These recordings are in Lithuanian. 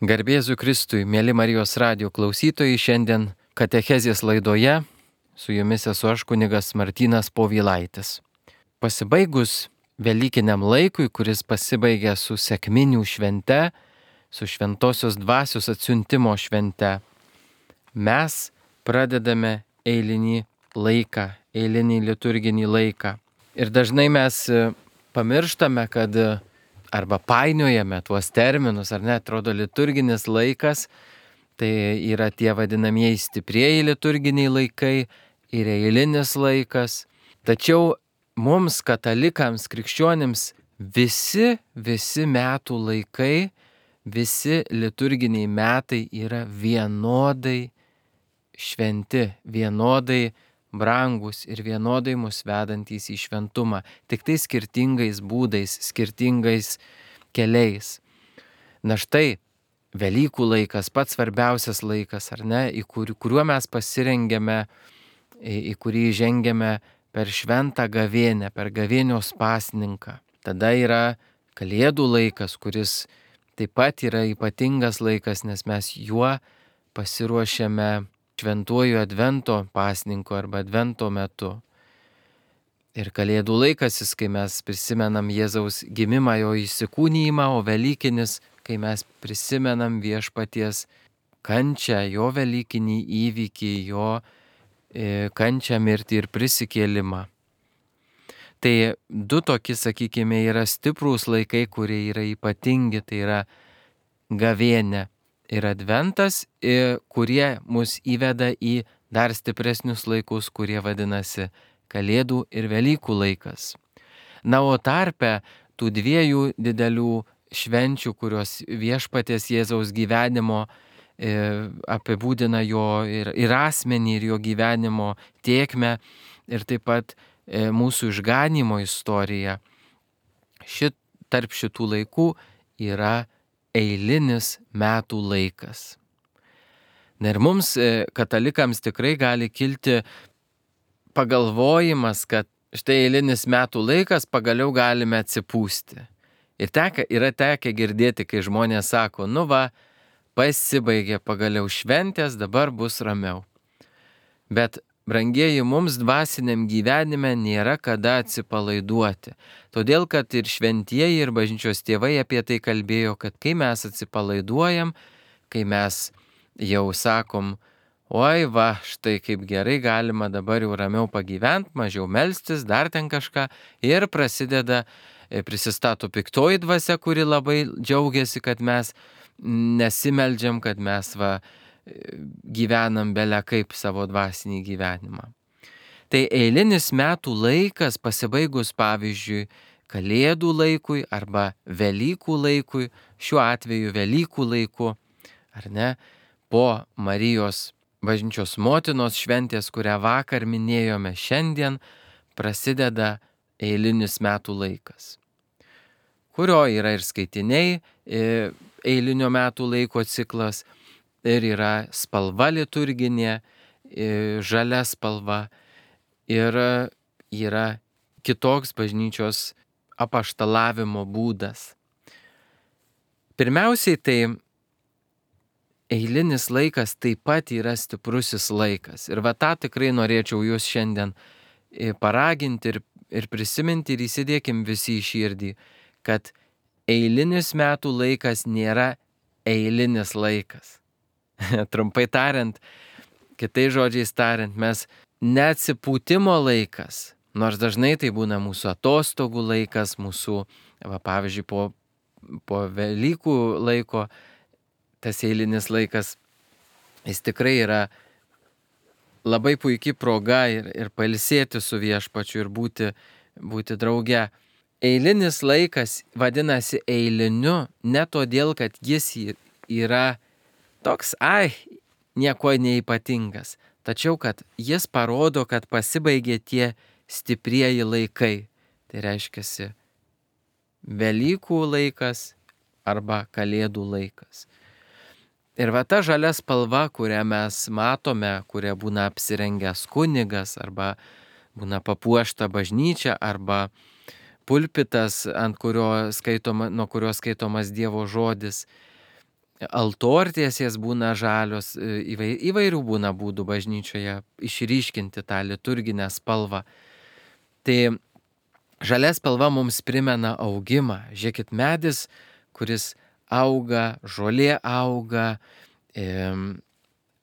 Garbėzu Kristui, mėly Marijos radijo klausytojai, šiandien katechezės laidoje su jumis esu aš kunigas Martynas Povilaitis. Pasibaigus Velykiniam laikui, kuris pasibaigė su sekminių švente, su šventosios dvasios atsiuntimo švente, mes pradedame eilinį laiką, eilinį liturginį laiką. Ir dažnai mes pamirštame, kad arba painiojame tuos terminus, ar ne, atrodo liturginis laikas, tai yra tie vadinamieji stiprieji liturginiai laikai ir eilinis laikas. Tačiau mums, katalikams, krikščionims, visi metų laikai, visi liturginiai metai yra vienodai šventi, vienodai brangus ir vienodai mus vedantys į šventumą, tik tai skirtingais būdais, skirtingais keliais. Na štai, Velykų laikas, pats svarbiausias laikas, ar ne, kuriuo mes pasirengėme, į kurį žengiame per šventą gavėnią, per gavėnios pasninką. Tada yra Kalėdų laikas, kuris taip pat yra ypatingas laikas, nes mes juo pasiruošiame šventuoju advento pasninku arba advento metu. Ir Kalėdų laikas, kai mes prisimenam Jėzaus gimimą, jo įsikūnijimą, o Velykinis, kai mes prisimenam Viešpaties kančią, jo velykinį įvykį, jo kančią, mirtį ir prisikėlimą. Tai du tokie, sakykime, yra stiprūs laikai, kurie yra ypatingi, tai yra gavėnė ir adventas, kurie mus įveda į dar stipresnius laikus, kurie vadinasi Kalėdų ir Velykų laikas. Na, o tarpe tų dviejų didelių švenčių, kurios Viešpaties Jėzaus gyvenimo apibūdina jo ir asmenį, ir jo gyvenimo tėkmę, ir taip pat mūsų išganymo istoriją. Tarp šitų laikų yra eilinis metų laikas. Na ir mums, katalikams, tikrai gali kilti pagalvojimas, kad štai eilinis metų laikas, pagaliau galime atsipūsti. Ir yra tekę girdėti, kai žmonės sako, nu va, pasibaigė pagaliau šventės, dabar bus ramiau. Bet, brangieji, mums dvasiniam gyvenime nėra kada atsipalaiduoti. Todėl, kad ir šventieji, ir bažnyčios tėvai apie tai kalbėjo, kad kai mes atsipalaiduojam, kai mes jau sakom, oi va, štai kaip gerai galima dabar jau ramiau pagyventi, mažiau melstis, dar ten kažką, ir prisistato piktoji dvasia, kuri labai džiaugiasi, kad mes nesimeldžiam, kad mes gyvenam bele kaip savo dvasinį gyvenimą. Tai eilinis metų laikas pasibaigus, pavyzdžiui, Kalėdų laikui arba Velykų laikui, šiuo atveju Velykų laiku, ar ne, po Marijos bažnyčios motinos šventės, kurią vakar minėjome, šiandien prasideda eilinis metų laikas, kurio yra ir skaitiniai, eilinio metų laiko ciklas, ir yra spalva liturginė, žalia spalva, ir yra kitoks bažnyčios apaštalavimo būdas. Pirmiausiai, tai eilinis laikas taip pat yra stiprusis laikas. Ir tą tikrai norėčiau jūs šiandien paraginti ir prisiminti, ir įsidėkim visi į širdį, kad eilinis metų laikas nėra eilinis laikas. Trumpai tariant, kitais žodžiais tariant, mes neatsipūtimo laikas, nors dažnai tai būna mūsų atostogų laikas, mūsų, pavyzdžiui, po Velykų laiko, tas eilinis laikas, jis tikrai yra labai puikia proga ir pailsėti su Viešpačiu ir būti drauge. Eilinis laikas vadinasi eiliniu ne todėl, kad jis yra toks, nieko neypatingas, tačiau kad jis parodo, kad pasibaigė tie stiprieji laikai. Tai reiškiasi Velykų laikas arba Kalėdų laikas. Ir ta žalia spalva, kurią mes matome, kuria būna apsirengęs kunigas, arba būna papuošta bažnyčia, arba pulpitas, nuo kurio skaitomas Dievo žodis, altortiesės būna žalios, įvairių būna būdų bažnyčioje išryškinti tą liturginę spalvą. Tai žalia spalva mums primena augimą. Žiūrėkit, medis, kuris auga, žolė auga,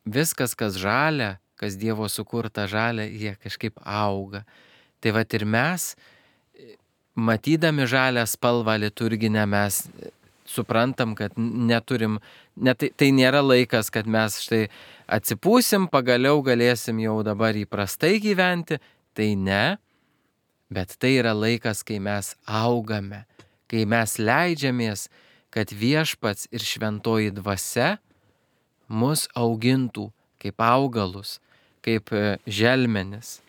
viskas, kas žalia, kas Dievo sukurta žalia, jie kažkaip auga. Tai vat ir mes, matydami žalią spalvą liturginę, mes suprantam, kad tai nėra laikas, kad mes štai atsipūsim, pagaliau galėsim jau dabar įprastai gyventi. Tai ne, bet tai yra laikas, kai mes augame, kai mes leidžiamės, kad Viešpats ir šventoji dvasia mus augintų kaip augalus, kaip želmenis.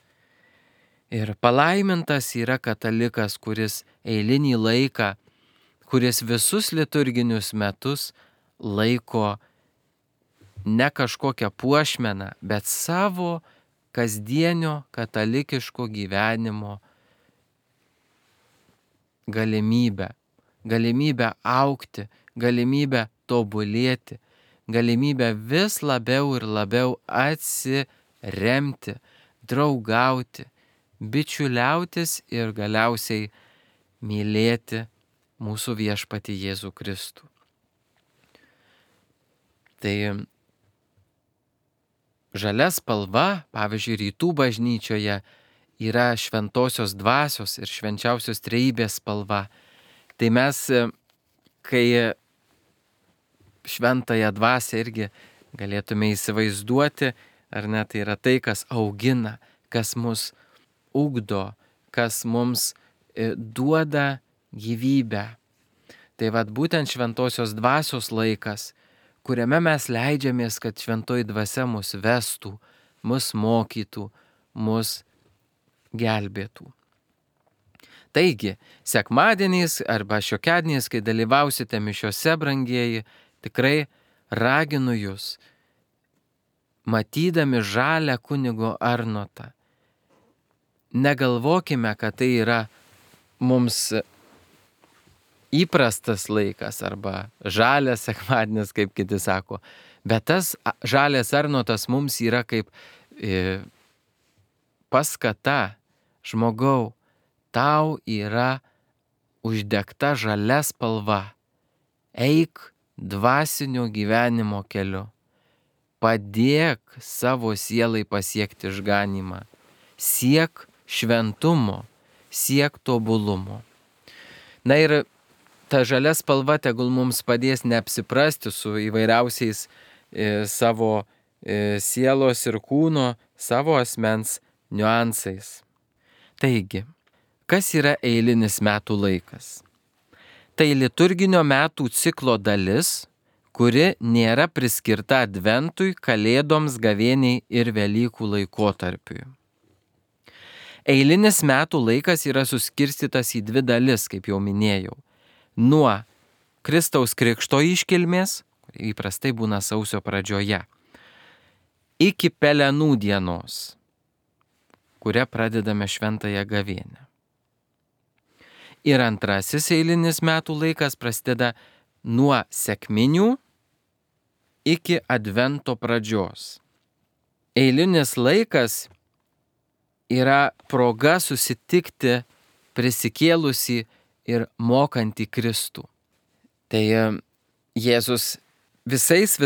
Ir palaimintas yra katalikas, kuris eilinį laiką, kuris visus liturginius metus laiko ne kažkokią puošmeną, bet savo kasdienio katalikiško gyvenimo galimybę augti, galimybę tobulėti, galimybę vis labiau ir labiau atsiremti, draugauti, bičiuliautis ir galiausiai mylėti mūsų Viešpatį Jėzų Kristų. Tai žalia spalva, pavyzdžiui, rytų bažnyčioje yra šventosios dvasios ir švenčiausios trejybės spalva. Tai mes, kai šventąją dvasią irgi galėtume įsivaizduoti, ar ne, tai yra tai, kas augina, kas mus ugdo, kas mums duoda gyvybę. Tai vat būtent šventosios dvasios laikas, kuriame mes leidžiamės, kad šventoji dvasia mus vestų, mus mokytų, mus gelbėtų. Taigi, sekmadieniais arba šiokiadieniais, kai dalyvausite mišiose, brangieji, tikrai raginu jūs, matydami žalią kunigo Arnotą, negalvokime, kad tai yra mums įprastas laikas arba žalias sekmadienis, kaip kiti sako, bet tas žalias Arnotas mums yra kaip paskata, žmogau, tau yra uždegta žalia spalva, eik dvasinio gyvenimo keliu, padėk savo sielai pasiekti išganymą, siek šventumo, siek tobulumo. Na ir ta žalia spalva tegul mums padės neapsiprasti su įvairiausiais savo sielos ir kūno, savo asmens niuansais. Taigi, kas yra eilinis metų laikas? Tai liturginio metų ciklo dalis, kuri nėra priskirta Adventui, Kalėdoms, Gavėniai ir Velykų laikotarpiui. Eilinis metų laikas yra suskirstytas į dvi dalis, kaip jau minėjau. Nuo Kristaus Krikšto iškilmės, įprastai būna sausio pradžioje, iki Pelenų dienos, kuria pradedame šventąją gavėnią. Ir antrasis eilinis metų laikas prasideda nuo sekminių iki Advento pradžios. Eilinis laikas yra proga susitikti prisikėlusį ir mokantį Kristų. Tai Jėzus visais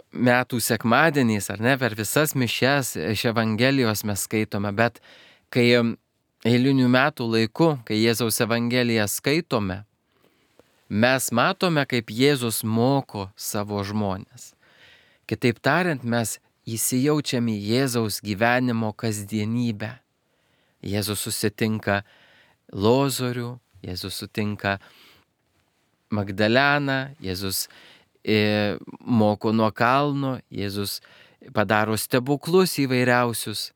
metų sekmadieniais, ar ne, per visas mišias iš Evangelijos mes skaitome, bet kai eilinių metų laiku, kai Jėzaus Evangeliją skaitome, mes matome, kaip Jėzus moko savo žmones. Kitaip tariant, mes įsijaučiame į Jėzaus gyvenimo kasdienybę. Jėzus susitinka Lozorių, Jėzus sutinka Magdaleną, Jėzus moko nuo kalno, Jėzus padaro stebuklus įvairiausius.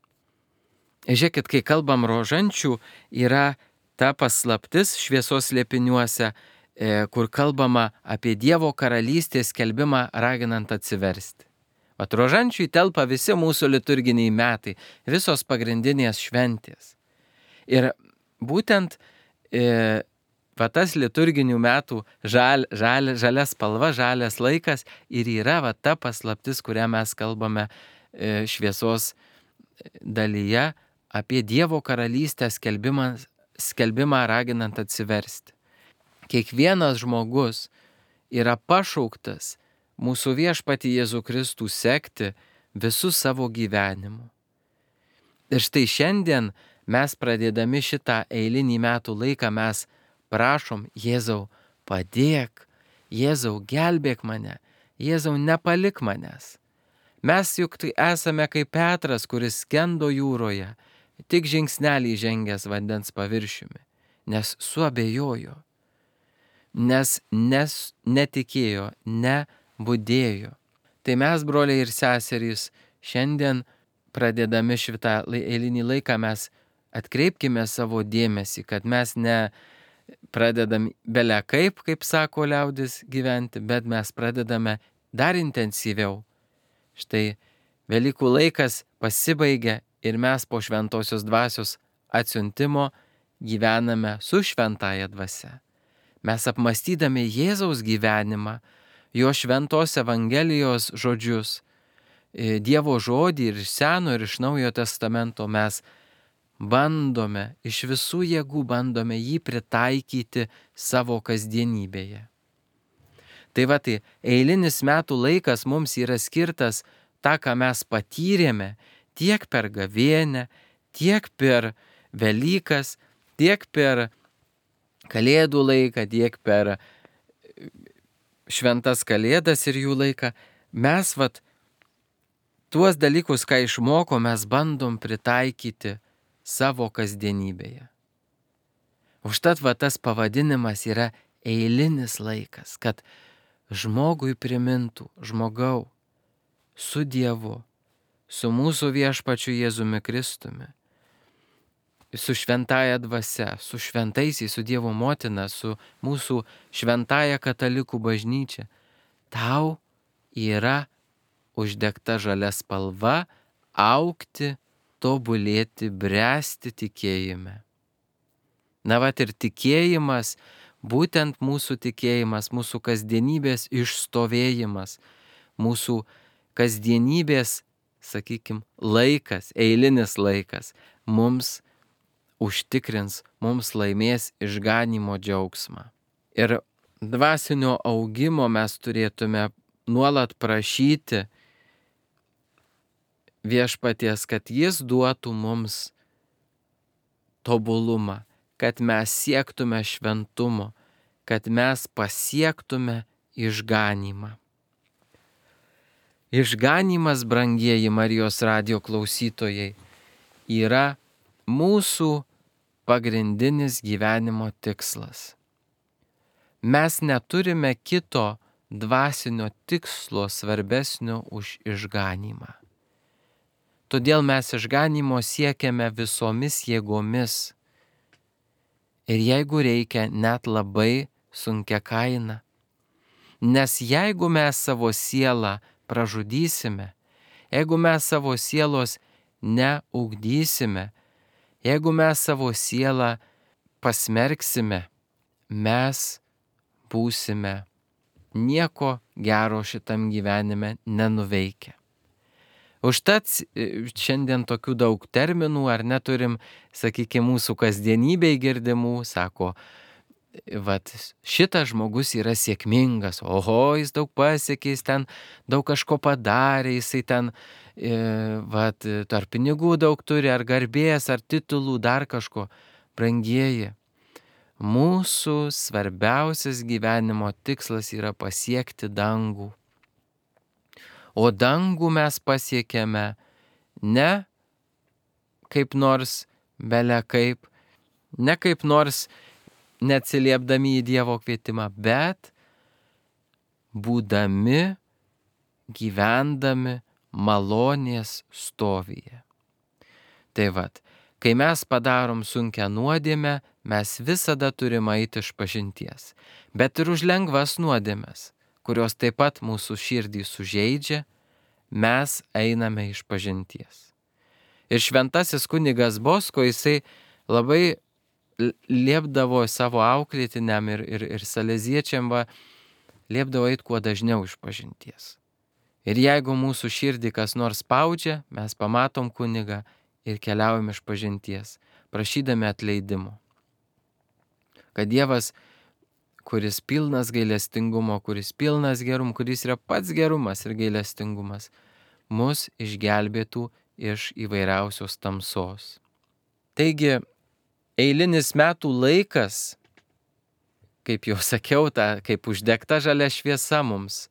Žiūrėkit, kai kalbam rožančių, yra ta paslaptis šviesos slėpiniuose, kur kalbama apie Dievo karalystės skelbimą raginant atsiversti. Vat rožančių telpa visi mūsų liturginiai metai, visos pagrindinės šventės. Ir būtent va tas liturginių metų žalia spalva, žalias laikas ir yra va ta paslaptis, kurią mes kalbame šviesos dalyje apie Dievo karalystę skelbimą raginant atsiversti. Kiekvienas žmogus yra pašauktas mūsų viešpatį Jėzų Kristų sekti visų savo gyvenimu. Ir štai šiandien mes pradėdami šitą eilinį metų laiką mes prašom, Jėzau, padėk, Jėzau, gelbėk mane, Jėzau, nepalik manęs. Mes juk tai esame kaip Petras, kuris skendo jūroje, tik žingsnelį žengęs vandens paviršiumi, nes suabejojo, nes netikėjo, nebudėjo. Tai mes, broliai ir seserys, šiandien pradėdami šitą eilinį laiką mes atkreipkime savo dėmesį, kad mes ne pradedam bele kaip sako liaudis, gyventi, bet mes pradedame dar intensyviau. Štai Velykų laikas pasibaigia ir mes po šventosios dvasios atsiuntimo gyvename su šventąja dvasia. Mes apmąstydami Jėzaus gyvenimą, jo šventos Evangelijos žodžius, Dievo žodį ir iš Seno ir iš Naujojo testamento mes bandome, iš visų jėgų bandome jį pritaikyti savo kasdienybėje. Tai va, tai eilinis metų laikas mums yra skirtas tą, ką mes patyrėme tiek per gavėnią, tiek per Velykas, tiek per Kalėdų laiką, tiek per šventas Kalėdas ir jų laiką. Mes tuos dalykus, ką išmoko, mes bandom pritaikyti savo kasdienybėje. Užtat tas pavadinimas yra eilinis laikas, kad žmogui primintų, žmogau, su Dievu, su mūsų viešpačiu Jėzumi Kristumi, su šventąja dvasia, su šventaisiais, su Dievo motina, su mūsų šventąja katalikų bažnyčia, tau yra uždegta žalia spalva augti, tobulėti, bręsti tikėjime. Ir tikėjimas, būtent mūsų tikėjimas, mūsų kasdienybės išstovėjimas, mūsų kasdienybės, laikas, eilinis laikas mums užtikrins, mums laimės išganymo džiaugsmą. Ir dvasinio augimo mes turėtume nuolat prašyti viešpaties, kad jis duotų mums tobulumą, kad mes siektume šventumo, kad mes pasiektume išganymą. Išganymas, brangieji Marijos radijo klausytojai, yra mūsų pagrindinis gyvenimo tikslas. Mes neturime kito dvasinio tikslo svarbesnio už išganymą. Todėl mes išganymo siekiame visomis jėgomis. Ir jeigu reikia, net labai sunkia kaina. Nes jeigu mes savo sielą pražudysime, jeigu mes savo sielos neugdysime, jeigu mes savo sielą pasmerksime, mes būsime nieko gero šitam gyvenime nenuveikę. Užtat šiandien tokių daug terminų ar neturim, mūsų kasdienybėj girdimų, sako, šitas žmogus yra sėkmingas, oho, jis daug pasiekė, jis ten daug kažko padarė, jisai ten, ar pinigų daug turi, ar garbės, ar titulų, dar kažko. Brangieji, mūsų svarbiausias gyvenimo tikslas yra pasiekti dangų. O dangų mes pasiekėme ne kaip nors bele kaip, ne kaip nors neatsiliepdami į Dievo kvietimą, bet būdami, gyvendami malonės stovyje. Tai kai mes padarom sunkią nuodėmę, mes visada turime eiti iš pažinties, bet ir už lengvas nuodėmes, kurios taip pat mūsų širdį sužeidžia, mes einame iš pažinties. Ir šventasis kunigas Bosko, jisai labai liepdavo savo auklėtiniam ir saleziečiam, liepdavo eiti kuo dažniau iš pažinties. Ir jeigu mūsų širdį kas nors spaudžia, mes pamatom kunigą ir keliaujam iš pažinties, prašydami atleidimo. Kad Dievas, kuris pilnas gailestingumo, kuris pilnas gerumo, kuris yra pats gerumas ir gailestingumas, mus išgelbėtų iš įvairiausios tamsos. Taigi, eilinis metų laikas, kaip jau sakiau, kaip uždegta žalia šviesa mums,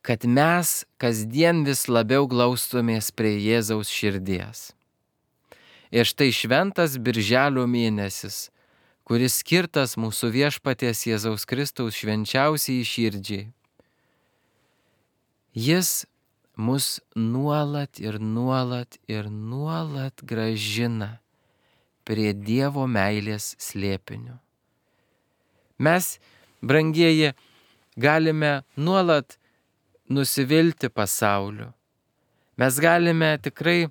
kad mes kasdien vis labiau glaustumės prie Jėzaus širdies. Ir štai šventas Birželio mėnesis, kuris skirtas mūsų viešpaties Jėzaus Kristaus švenčiausiai širdžiai. Jis mus nuolat gražina prie Dievo meilės slėpinio. Mes, brangieji, galime nuolat nusivilti pasauliu. Mes galime tikrai,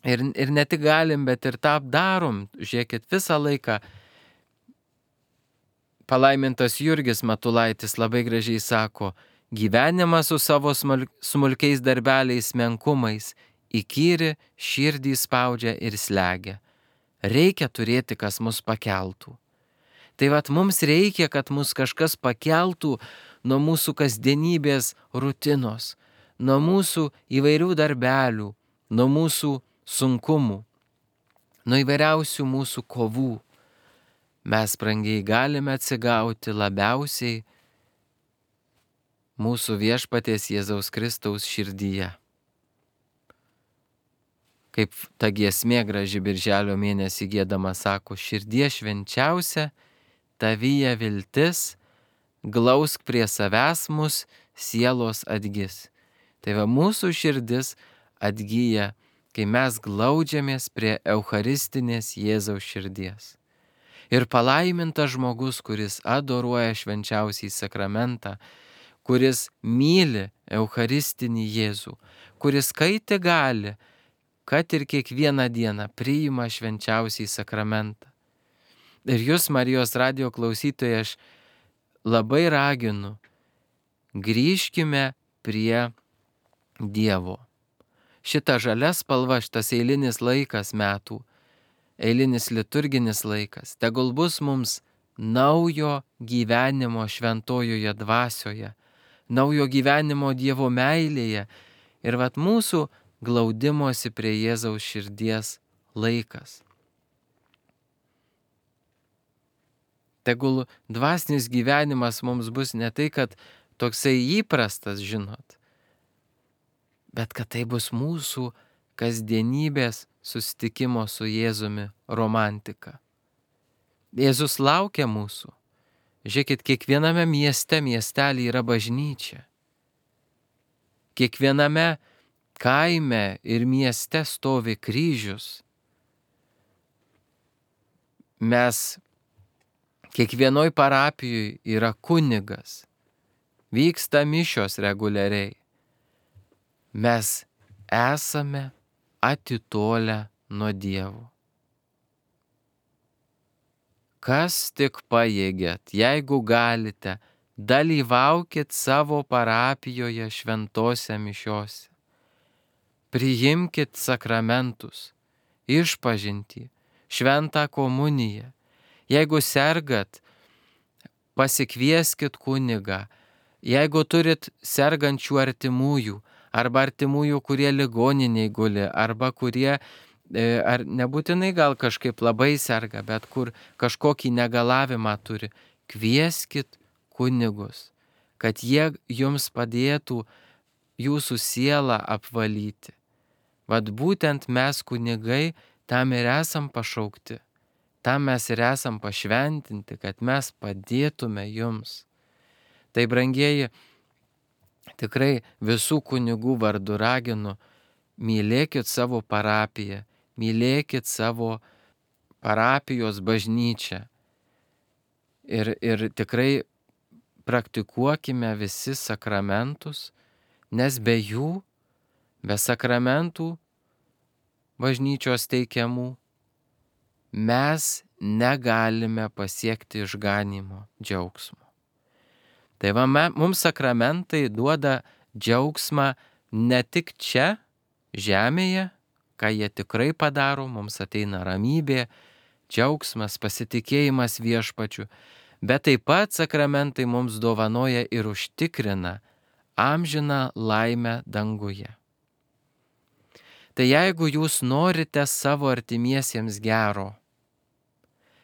ir ne tik galim, bet ir tą darom. Žiūrėkit, visą laiką palaimintas Jurgis Matulaitis labai gražiai sako, gyvenimas su savo smulkiais darbeliais menkumais įkyri širdį spaudžia ir slegia. Reikia turėti, kas mus pakeltų. Tai mums reikia, kad mus kažkas pakeltų nuo mūsų kasdienybės rutinos, nuo mūsų įvairių darbelių, nuo mūsų sunkumų, nuo įvairiausių mūsų kovų. Mes, brangiai, galime atsigauti labiausiai mūsų viešpaties Jėzaus Kristaus širdyje. Kaip ta giesmė graži Birželio mėnesį giedama sako, širdie švenčiausia, tavyje viltis, glausk prie savęs mus, sielos atgis. Tai mūsų širdis atgyja, kai mes glaudžiamės prie eucharistinės Jėzaus širdies. Ir palaimintas žmogus, kuris adoruoja švenčiausiai sakramentą, kuris myli eucharistinį Jėzų, kuris kai tik gali, kad ir kiekvieną dieną priima švenčiausiai sakramentą. Ir jūs, Marijos radijo klausytojai, aš labai raginu, grįžkime prie Dievo. Šita žalia spalva, šitas eilinis laikas metų, eilinis liturginis laikas, tegul bus mums naujo gyvenimo šventojoje dvasioje, naujo gyvenimo Dievo meilėje ir mūsų glaudimosi prie Jėzaus širdies laikas. Tegul dvasinis gyvenimas mums bus ne tai, kad toksai įprastas, žinot, bet kad tai bus mūsų kasdienybės susitikimo su Jėzumi romantika. Jėzus laukia mūsų. Žiūrėkit, kiekviename miestelį yra bažnyčia. Kiekviename kaime ir mieste stovi kryžius. Mes kiekvienoj parapijoje yra kunigas. Vyksta mišios reguliariai. Mes esame atitolę nuo Dievo. Kas tik pajėgėt, jeigu galite, dalyvaukit savo parapijoje šventose mišiose. Priimkit sakramentus, išpažintį, šventą komuniją. Jeigu sergat, pasikvieskit kunigą. Jeigu turit sergančių artimųjų, arba artimųjų, kurie ligoniniai guli, arba kurie, ar nebūtinai gal kažkaip labai serga, bet kur kažkokį negalavimą turi, kvieskit kunigus, kad jie jums padėtų jūsų sielą apvalyti. Būtent mes kunigai tam ir esam pašaukti, tam mes ir esam pašventinti, kad mes padėtume jums. Tai, brangieji, tikrai visų kunigų vardu raginu, mylėkit savo parapiją, mylėkit savo parapijos bažnyčią ir tikrai praktikuokime visi sakramentus, nes be jų, be sakramentų bažnyčios teikiamų, mes negalime pasiekti išganymo džiaugsmo. Tai va, mums sakramentai duoda džiaugsmą ne tik čia, žemėje, ką jie tikrai padaro, mums ateina ramybė, džiaugsmas, pasitikėjimas viešpačiu, bet taip pat sakramentai mums dovanoja ir užtikrina amžiną laimę danguje. Tai jeigu jūs norite savo artimiesiems gero,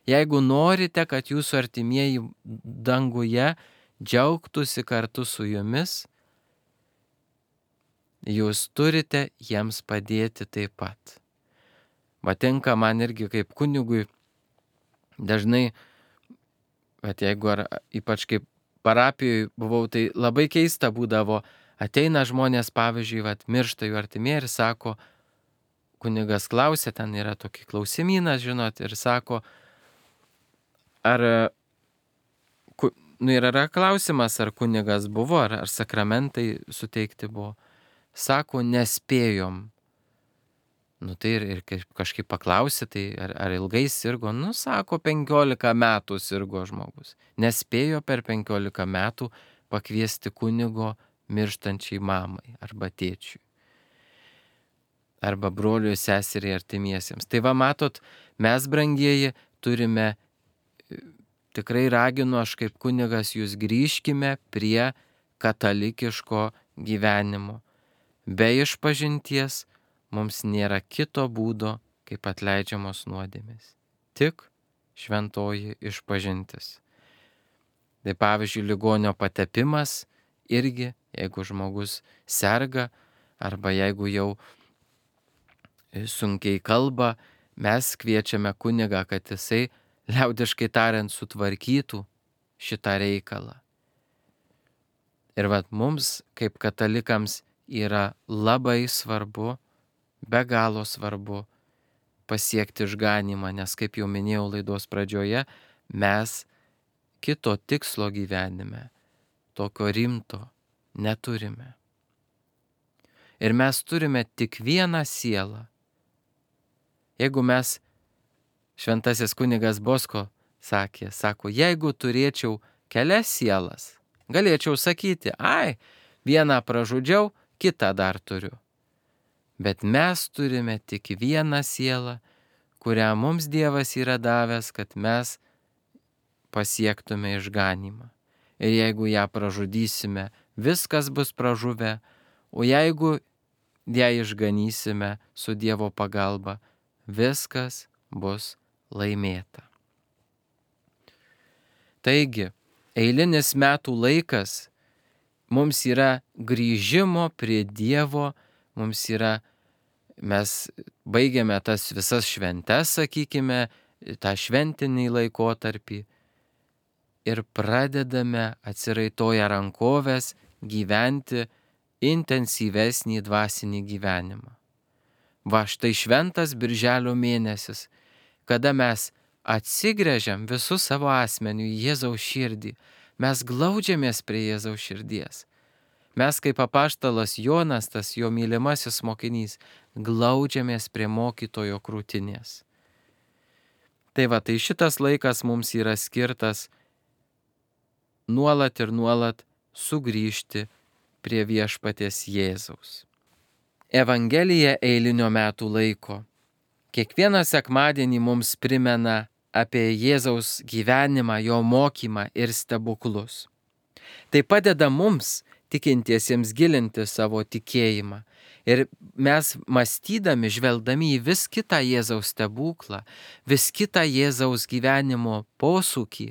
jeigu norite, kad jūsų artimieji danguje džiaugtųsi kartu su jumis, jūs turite jiems padėti taip pat. Matinka man irgi kaip kunigui dažnai, bet jeigu ypač kaip parapijoje buvau, tai labai keista būdavo, ateina žmonės, pavyzdžiui, miršta jų artimieji ir sako, kunigas klausia, ten yra tokį klausimynas, žinot, ir sako, yra klausimas, ar kunigas buvo, ar sakramentai suteikti buvo. Sako, nespėjom. Tai ir kažkaip paklausė, tai ar ilgai sirgo? Sako, 15 metų sirgo žmogus. Nespėjo per 15 metų pakviesti kunigo mirštančiai mamai arba tėčiui. Arba broliui, seseriai, artimiesiems. Tai va, matot, mes, brangieji, turime, tikrai raginu aš kaip kunigas, jūs grįžkime prie katalikiško gyvenimo. Be išpažinties mums nėra kito būdo, kaip atleidžiamos nuodėmės. Tik šventoji išpažintis. Tai pavyzdžiui, ligonio patepimas irgi, jeigu žmogus serga, arba jeigu jau sunkiai kalba, mes kviečiame kunigą, kad jisai, liaudiškai tariant, sutvarkytų šitą reikalą. Ir mums, kaip katalikams, yra labai svarbu, be galo svarbu pasiekti išganymą, nes, kaip jau minėjau laidos pradžioje, mes kito tikslo gyvenime, tokio rimto, neturime. Ir mes turime tik vieną sielą. Jeigu mes, šventasis kunigas Bosko sako, jeigu turėčiau kelias sielas, galėčiau sakyti, vieną pražudžiau, kitą dar turiu. Bet mes turime tik vieną sielą, kurią mums Dievas yra davęs, kad mes pasiektume išganymą. Ir jeigu ją pražudysime, viskas bus pražuvę, o jeigu ją išganysime su Dievo pagalba, viskas bus laimėta. Taigi, eilinis metų laikas mums yra grįžimo prie Dievo, mes baigiame tas visas šventes, sakykime, tą šventinį laikotarpį ir pradedame atsiraitoję rankoves gyventi intensyvesnį dvasinį gyvenimą. Va, štai šventas birželio mėnesis, kada mes atsigręžiam visų savo asmenių į Jėzaus širdį, mes glaudžiamės prie Jėzaus širdies. Mes kaip apaštalas Jonas, tas jo mylimasis mokinys, glaudžiamės prie mokytojo krūtinės. Tai va, tai šitas laikas mums yra skirtas nuolat ir nuolat sugrįžti prie viešpaties Jėzaus. Evangelija eilinio metų laiko. Kiekvieną sekmadienį mums primena apie Jėzaus gyvenimą, jo mokymą ir stebuklus. Tai padeda mums, tikintiesiems, gilinti savo tikėjimą. Ir mes mąstydami, žvelgdami į vis kitą Jėzaus stebuklą, vis kitą Jėzaus gyvenimo posūkį,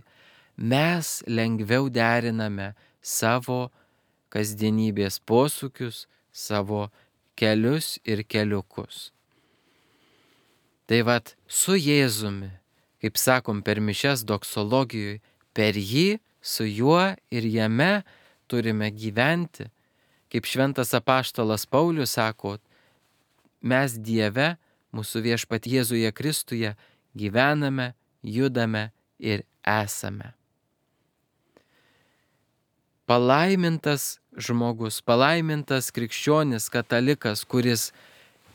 mes lengviau deriname savo kasdienybės posūkius, savo kelius ir keliukus. Tai vat, su Jėzumi, kaip sakom per mišias doksologijoje, per jį, su juo ir jame turime gyventi. Kaip šventas apaštalas Paulius sako, mes Dieve, mūsų viešpat Jėzuje Kristuje, gyvename, judame ir esame. Palaimintas žmogus, palaimintas krikščionis, katalikas, kuris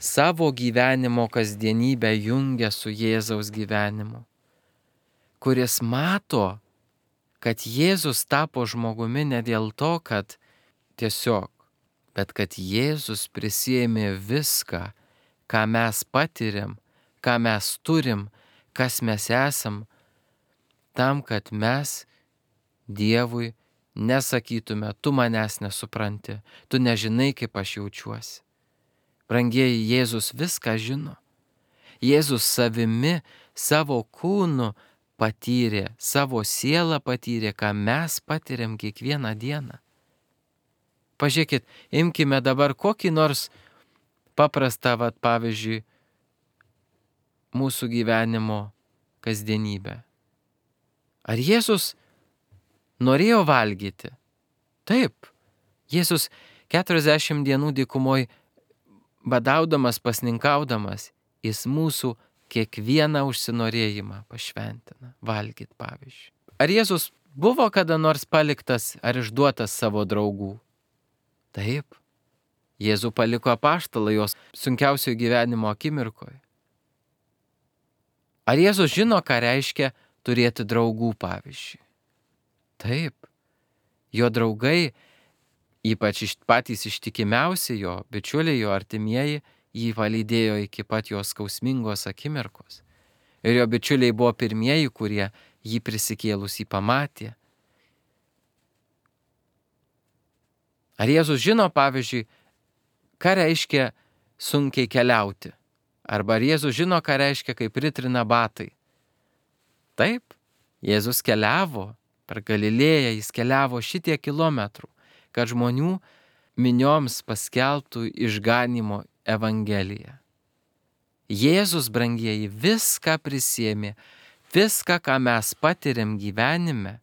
savo gyvenimo kasdienybę jungia su Jėzaus gyvenimu, kuris mato, kad Jėzus tapo žmogumi ne dėl to, kad tiesiog, bet kad Jėzus prisiėmė viską, ką mes patiriam, ką mes turim, kas mes esam, tam, kad mes Dievui nesakytume, tu manęs nesupranti, tu nežinai, kaip aš jaučiuosi. Brangieji, Jėzus viską žino. Jėzus savimi, savo kūnu patyrė, savo sielą patyrė, ką mes patiriam kiekvieną dieną. Pažiūrėkit, imkime dabar kokį nors paprastą, pavyzdžiui, mūsų gyvenimo kasdienybę. Ar Jėzus norėjo valgyti? Taip. Jėzus 40 dienų dykumoj badaudamas, pasninkaudamas, jis mūsų kiekvieną užsinorėjimą pašventina. Valgyt, pavyzdžiui. Ar Jėzus buvo kada nors paliktas ar išduotas savo draugų? Taip. Jėzų paliko apaštalai jos sunkiausio gyvenimo akimirkoje. Ar Jėzus žino, ką reiškia turėti draugų, pavyzdžiui? Taip. Jo draugai, ypač patys ištikimiausi jo bičiuliai, jo artimieji, jį palydėjo iki pat jos skausmingos akimirkos. Ir jo bičiuliai buvo pirmieji, kurie jį prisikėlusį pamatė. Ar Jėzus žino, pavyzdžiui, ką reiškia sunkiai keliauti? Arba ar Jėzus žino, ką reiškia, kai pritrina batai? Taip, Jėzus keliavo per Galilėją, jis keliavo šitiek kilometrų, kad žmonių minioms paskelbtų išganimo evangeliją. Jėzus, brangieji, viską prisiėmė, viską, ką mes patiriam gyvenime,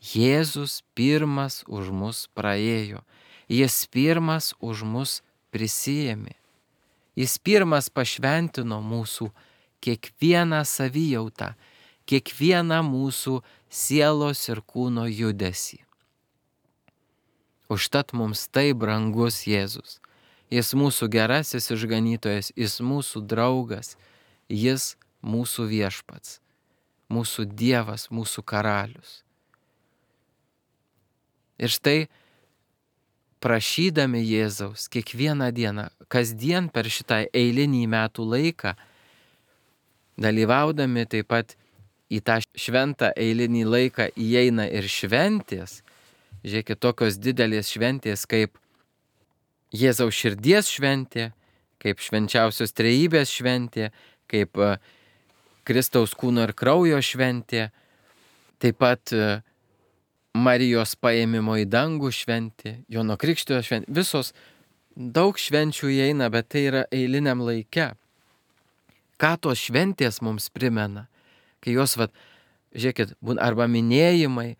Jėzus pirmas už mus praėjo, jis pirmas už mus prisiėmė. Jis pirmas pašventino mūsų kiekvieną savijautą, kiekvieną mūsų sielos ir kūno judesį. Užtat mums tai brangus Jėzus. Jis mūsų gerasis išganytojas, jis mūsų draugas, jis mūsų viešpats, mūsų Dievas, mūsų karalius. Ir štai prašydami Jėzaus kiekvieną dieną, kasdien per šitą eilinį metų laiką, dalyvaudami taip pat į tą šventą eilinį laiką įeina ir šventės. Žiūrėkit, tokios didelės šventės kaip Jėzaus širdies šventė, kaip švenčiausios trejybės šventė, kaip Kristaus kūno ir kraujo šventė, taip pat Marijos paėmimo į dangų šventė, Jono Krikštytojo šventė. Visos daug švenčių įeina, bet tai yra eiliniam laike. Ką tos šventės mums primena? Kai jos, žiūrėkit, arba minėjimai,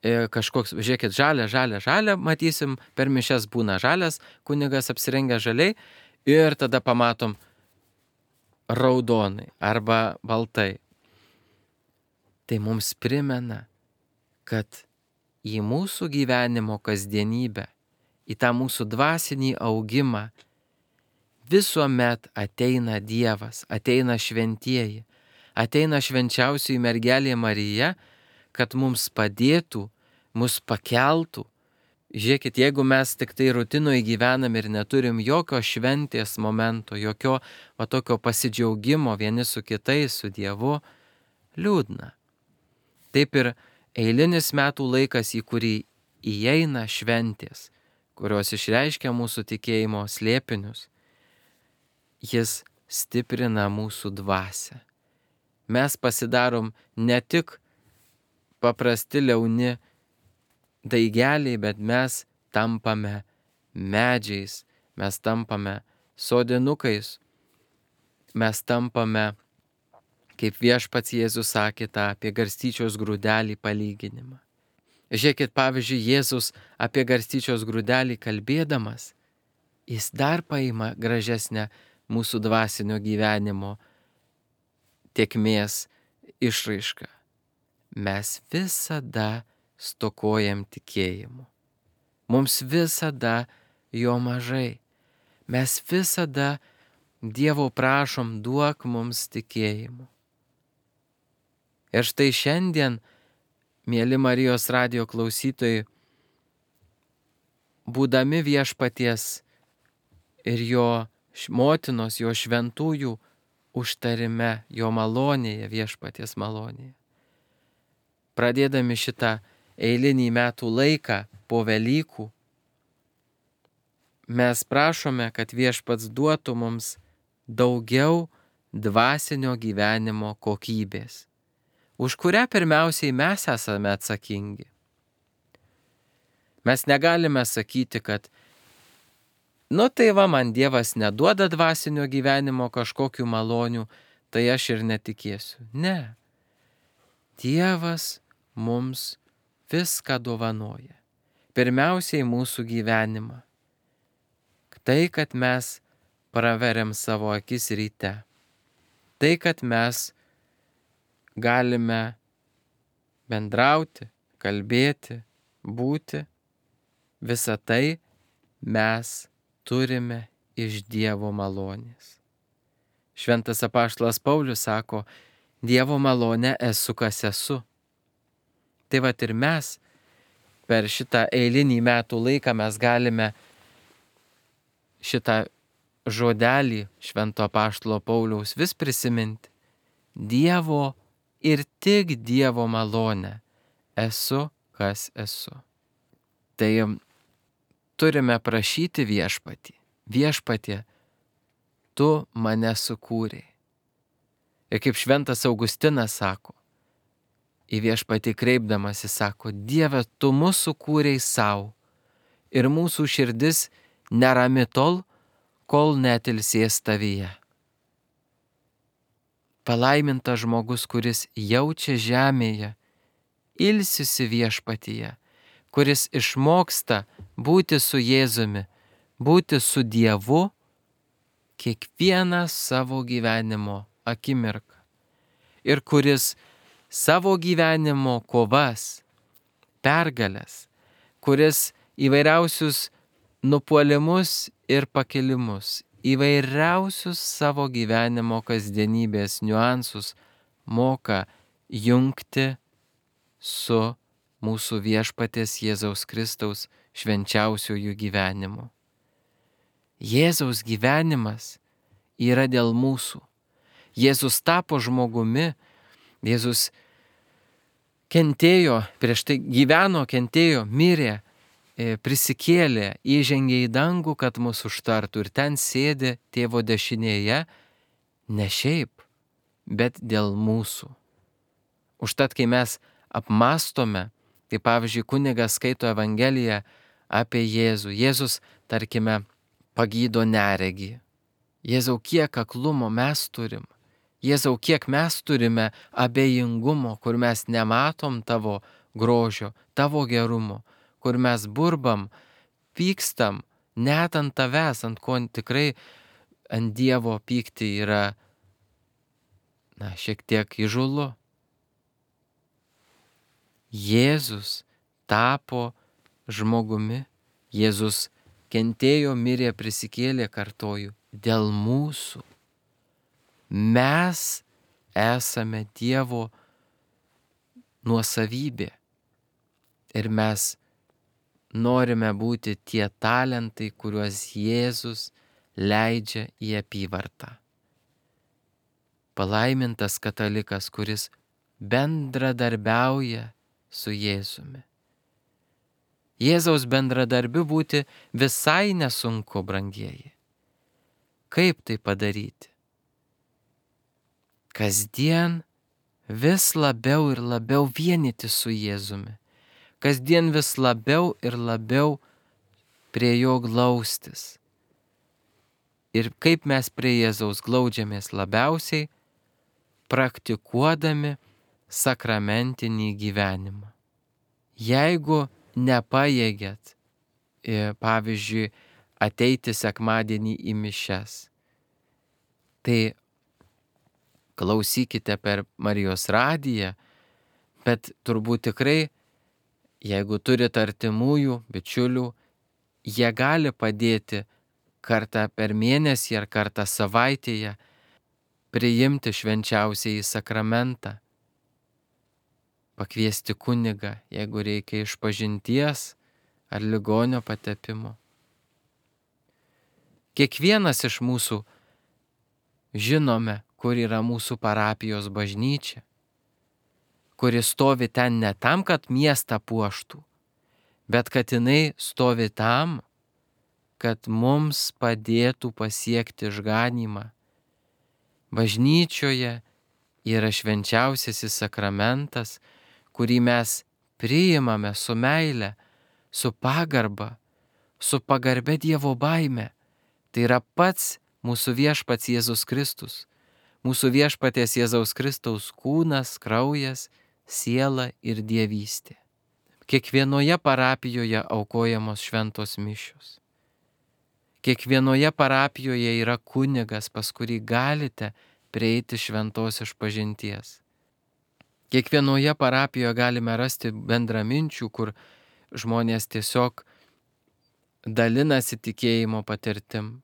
kažkoks, žiūrėkit, žalia, matysim, per mišias būna žalias, kunigas apsirengia žaliai ir tada pamatom raudonai arba baltai. Tai mums primena, kad į mūsų gyvenimo kasdienybę, į tą mūsų dvasinį augimą visuomet ateina Dievas, ateina šventieji, ateina švenčiausioji mergelė Marija, kad mums padėtų, mus pakeltų. Žiūrėkit, jeigu mes tik tai rutinoje gyvenam ir neturim jokio šventės momento, jokio tokio pasidžiaugimo vieni su kitais, su Dievu, liūdna. Taip ir eilinis metų laikas, į kurį įeina šventės, kurios išreiškia mūsų tikėjimo slėpinius, jis stiprina mūsų dvasią. Mes pasidarom ne tik paprasti liauni daigeliai, bet mes tampame medžiais, mes tampame sodinukais, mes tampame, kaip viešpats Jėzus sakė tą apie garstyčios grūdelį palyginimą. Žiūrėkit, pavyzdžiui, Jėzus apie garstyčios grūdelį kalbėdamas, jis dar paima gražesnę mūsų dvasinio gyvenimo tėkmės išraišką. Mes visada stokojam tikėjimu. Mums visada jo mažai. Mes visada Dievo prašom, duok mums tikėjimo. Ir štai šiandien, mėly Marijos radijo klausytojai, būdami Viešpaties ir jo motinos, jo šventųjų užtarime, jo malonėje, Viešpaties malonėje, pradėdami šitą eilinį metų laiką po Velykų, mes prašome, kad Viešpats duotų mums daugiau dvasinio gyvenimo kokybės, už kurią pirmiausiai mes esame atsakingi. Mes negalime sakyti, kad tai va, man Dievas neduoda dvasinio gyvenimo kažkokių malonių, tai aš ir netikėsiu. Ne. Dievas mums viską dovanoja. Pirmiausiai mūsų gyvenimą. Tai, kad mes praveriam savo akis ryte. Tai, kad mes galime bendrauti, kalbėti, būti. Visą tai mes turime iš Dievo malonės. Šventas apaštalas Paulius sako, Dievo malonė esu, kas esu. Tai vat ir mes per šitą eilinį metų laiką mes galime šitą žodelį Švento apaštalo Pauliaus vis prisiminti. Dievo ir tik Dievo malonė esu, kas esu. Tai turime prašyti Viešpatį. Viešpatie, tu mane sukūrei. Ir kaip Šventas Augustinas sako, į Viešpatį kreipdamas jis sako, Dieve, tu mus sukūrei savo ir mūsų širdis nerami tol, kol netilsės tavyje. Palaimintas žmogus, kuris jaučia žemėje, ilsisi Viešpatyje, kuris išmoksta būti su Jėzumi, būti su Dievu kiekvieną savo gyvenimo akimirką. Ir kuris savo gyvenimo kovas, pergalės, kuris įvairiausius nupuolimus ir pakilimus, įvairiausius savo gyvenimo kasdienybės niuansus moka jungti su mūsų Viešpaties Jėzaus Kristaus švenčiausiųjų gyvenimu. Jėzaus gyvenimas yra dėl mūsų. Jėzus tapo žmogumi, Jėzus kentėjo, prieš tai gyveno, kentėjo, mirė, prisikėlė, įžengė į dangų, kad mus užtartų ir ten sėdi Tėvo dešinėje, ne šiaip, bet dėl mūsų. Užtat, kai mes apmastome, tai pavyzdžiui, kunigas skaito Evangeliją apie Jėzų. Jėzus, tarkime, pagydo neregį. Jėzau, kiek aklumo mes turim. Jėzau, kiek mes turime abejingumo, kur mes nematom tavo grožio, tavo gerumo, kur mes burbam, pykstam, net ant tavęs, ant ko tikrai ant Dievo pykti yra, šiek tiek įžūlu. Jėzus tapo žmogumi, Jėzus kentėjo, mirė, prisikėlė, kartoju, dėl mūsų. Mes esame Dievo nuosavybė ir mes norime būti tie talentai, kuriuos Jėzus leidžia į apyvartą. Palaimintas katalikas, kuris bendradarbiauja su Jėzumi. Jėzaus bendradarbiu būti visai nesunku, brangieji. Kaip tai padaryti? Kasdien vis labiau ir labiau vienyti su Jėzumi. Kasdien vis labiau ir labiau prie jo glaustis. Ir kaip mes prie Jėzaus glaudžiamės labiausiai, praktikuodami sakramentinį gyvenimą. Jeigu nepajėgėt, pavyzdžiui, ateiti sekmadienį į mišias, tai klausykite per Marijos radiją, bet turbūt tikrai, jeigu turit artimųjų, bičiulių, jie gali padėti kartą per mėnesį ar kartą savaitėje priimti švenčiausiąjį sakramentą, pakviesti kunigą, jeigu reikia išpažinties ar ligonio patepimo. Kiekvienas iš mūsų žinome, kur yra mūsų parapijos bažnyčia, kuri stovi ten ne tam, kad miestą puoštų, bet kad jinai stovi tam, kad mums padėtų pasiekti išganymą. Bažnyčioje yra švenčiausiasis sakramentas, kurį mes priimame su meile, su pagarba, su pagarbia Dievo baime. Tai yra pats mūsų viešpats Jėzus Kristus, mūsų viešpaties Jėzaus Kristaus kūnas, kraujas, siela ir dievystė. Kiekvienoje parapijoje aukojamos šventos mišios. Kiekvienoje parapijoje yra kunigas, pas kurį galite prieiti šventos išpažinties. Kiekvienoje parapijoje galime rasti bendraminčių, kur žmonės tiesiog dalinasi tikėjimo patirtim.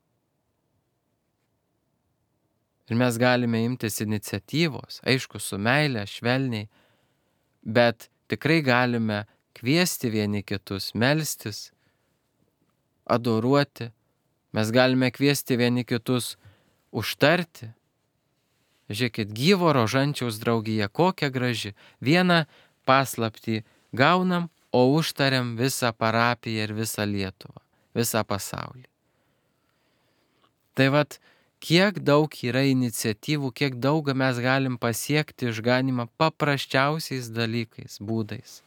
Ir mes galime imtis iniciatyvos, aišku, su meile, švelniai, bet tikrai galime kviesti vieni kitus, melstis, adoruoti. Mes galime kviesti vieni kitus užtarti. Žiūrėkit, gyvo rožančiaus draugija, kokia graži. Vieną paslaptį gaunam, o užtariam visą parapiją ir visą Lietuvą, visą pasaulį. Tai vat, kiek daug yra iniciatyvų, kiek daug mes galim pasiekti išganymą paprasčiausiais dalykais, būdais.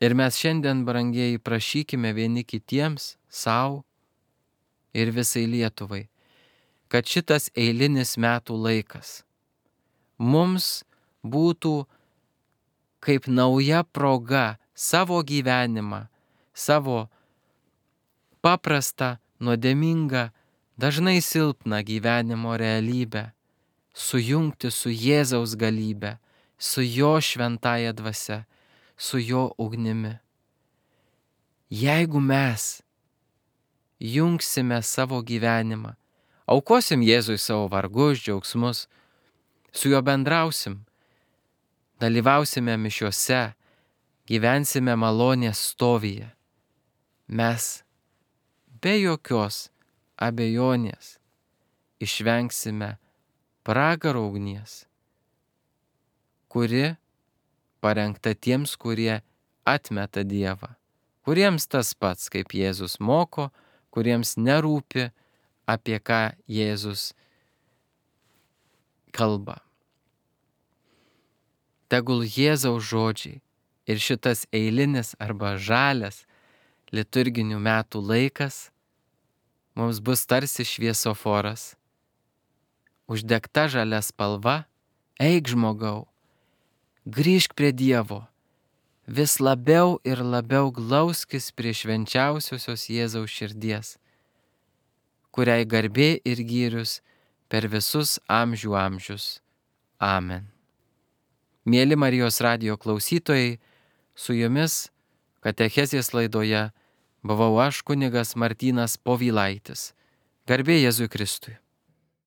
Ir mes šiandien, brangieji, prašykime vieni kitiems, savo ir visai Lietuvai, kad šitas eilinis metų laikas mums būtų kaip nauja proga savo gyvenimą, savo paprastą, nuodėmingą, dažnai silpną gyvenimo realybę sujungti su Jėzaus galybe, su jo šventąja dvasia, su jo ugnimi. Jeigu mes jungsime savo gyvenimą, aukosim Jėzui savo vargus, džiaugsmus, su juo bendrausim, dalyvausime mišiuose, gyvensime malonės stovyje, mes be jokios abejonės išvengsime pragaro ugnies, kuri parengta tiems, kurie atmeta Dievą, kuriems tas pats, kaip Jėzus moko, kuriems nerūpi, apie ką Jėzus kalba. Tegul Jėzaus žodžiai ir šitas eilinis arba žalias liturginių metų laikas mums bus tarsi šviesoforas, uždegta žalia spalva, eik žmogau, grįžk prie Dievo, vis labiau ir labiau glauskis prie švenčiausiosios Jėzaus širdies, kuriai garbė ir gyrius per visus amžių amžius. Amen. Mieli Marijos radijo klausytojai, su jumis katechezės laidoje buvau aš, kunigas Martynas Povilaitis. Garbė Jėzui Kristui.